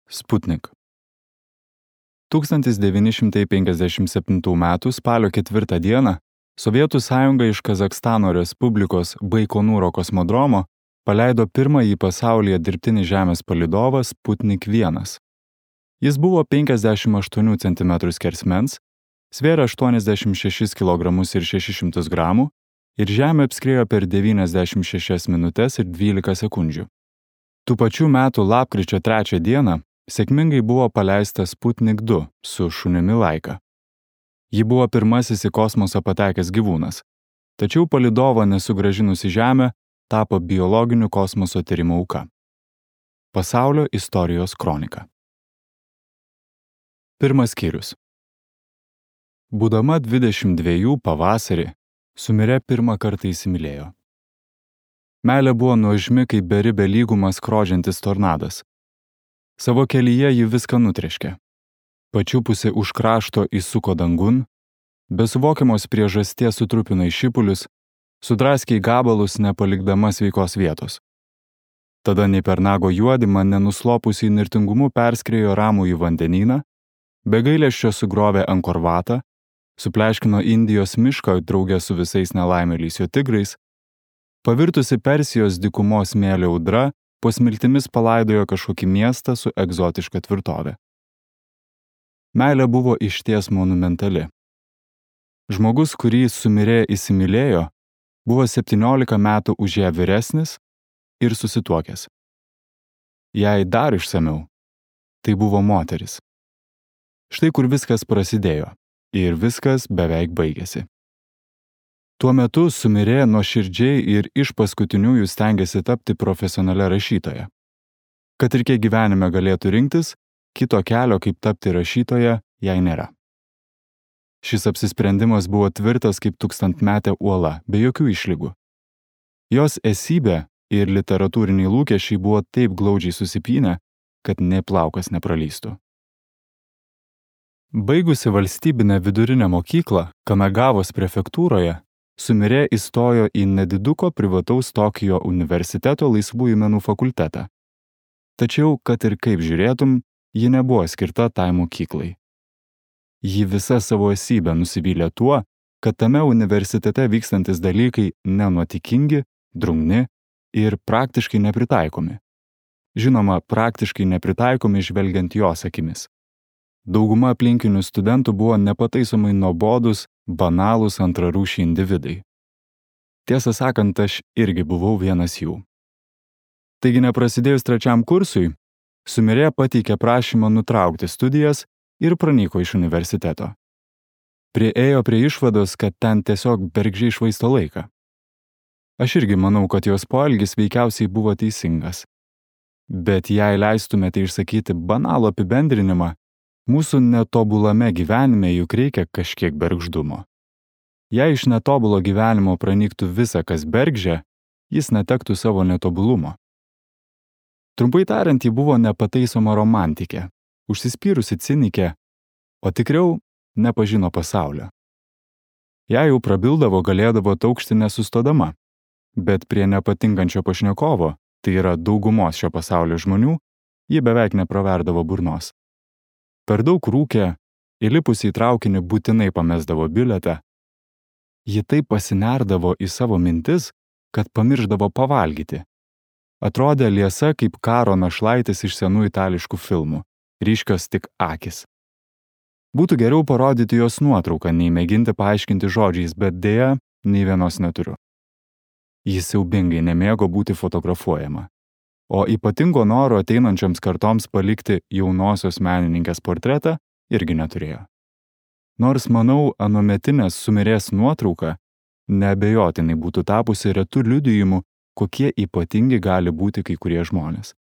Sputnik. 1957 m. spalio 4 d. Sovietų sąjunga iš Kazachstano Respublikos Baikonūro kosmodromo paleido pirmąjį pasaulyje dirbtinį Žemės palydovą Sputnik 1. Jis buvo 58 cm skersmens, svėrė 86 kg ir 600 g ir Žemę apskriejo per 96 minutes ir 12 sekundžių. Tų pačių metų lapkričio 3 d. sėkmingai buvo paleistas Sputnik 2 su šunimi Laika. Ji buvo pirmasis į kosmosą patekęs gyvūnas, tačiau palydovą nesugrąžinus į Žemę tapo biologinių kosmoso tyrimų auka. Pasaulio istorijos kronika. Pirmas skyrius. Būdama 22 pavasarį, Sumirė pirmą kartą įsimylėjo. Meilė buvo nuožmi kaip beribė lygumą skrodžiantis tornadas. Savo kelyje ji viską nutreškė. Pačiupusi už krašto įsuko dangun, be suvokiamos priežasties sutrupino į šipulius, sudraskė į gabalus nepalikdama sveikos vietos. Tada nei per nago juodimą nenuslopusi įnirtingumu perskriejo ramų į vandenyną, be gailesčio sugrovė Ankorvatą, supleškino Indijos mišką drauge su visais nelaimėliais jo tigrais, pavirtusi Persijos dykumos smėlio audra, po smiltimis palaidojo kažkokį miestą su egzotiška tvirtove. Meilė buvo išties monumentali. Žmogus, kurį Sumirė įsimylėjo, buvo 17 metų už ją vyresnis ir susituokęs. Jei dar išsamiau, tai buvo moteris. Štai kur viskas prasidėjo ir viskas beveik baigėsi. Tuo metu Sumirė nuoširdžiai ir iš paskutiniųjų stengėsi tapti profesionalia rašytoja. Kad ir kiek gyvenime galėtų rinktis, kito kelio, kaip tapti rašytoja, jai nėra. Šis apsisprendimas buvo tvirtas kaip tūkstantmetė uola, be jokių išlygų. Jos esybė ir literatūriniai lūkesčiai buvo taip glaudžiai susipynę, kad nė plaukas nepralystų. Baigusi valstybinę vidurinę mokyklą Kanagavos prefektūroje, Sumirė įstojo į nediduko privataus Tokijo universiteto laisvųjų menų fakultetą. Tačiau, kad ir kaip žiūrėtum, ji nebuvo skirta tai mokyklai. Ji visa savo esybę nusivylė tuo, kad tame universitete vykstantis dalykai nenuotikingi, drungni ir praktiškai nepritaikomi. Žinoma, praktiškai nepritaikomi žvelgiant jos akimis. Dauguma aplinkinių studentų buvo nepataisomai nuobodūs, banalūs antrarūšiai individai. Tiesą sakant, aš irgi buvau vienas jų. Taigi neprasidėjus 3 kursui, Sumirė pateikė prašymą nutraukti studijas ir pranyko iš universiteto. Priėjo prie išvados, kad ten tiesiog bergždžiai švaisto laiką. Aš irgi manau, kad jos poelgis veikiausiai buvo teisingas. Bet jei leistumėte išsakyti banalų apibendrinimą, mūsų netobulame gyvenime juk reikia kažkiek bergždumo. Jei iš netobulo gyvenimo pranyktų visa, kas bergždžia, jis netektų savo netobulumo. Trumpai tariant, ji buvo nepataisoma romantikė, užsispyrusi cinikė, o tikriau nepažino pasaulio. Jei jau prabildavo, galėdavo taukšti nesustodama, bet prie nepatinkančio pašnekovo, tai yra daugumos šio pasaulio žmonių, ji beveik nepraverdavo burnos. Per daug rūkė, įlipusi į traukinį būtinai pamesdavo bilietą. Ji taip pasinerdavo į savo mintis, kad pamirždavo pavalgyti. Atrodė liesa kaip karo našlaitis iš senų itališkų filmų, ryškios tik akys. Būtų geriau parodyti jos nuotrauką, nei mėginti paaiškinti žodžiais, bet deja, nei vienos neturiu. Ji siaubingai nemėgo būti fotografuojama. O ypatingo noro ateinančioms kartoms palikti jaunosios menininkės portretą irgi neturėjo. Nors, manau, anuometinės Sumirės nuotrauka neabejotinai būtų tapusi retų liudijimu, kokie ypatingi gali būti kai kurie žmonės.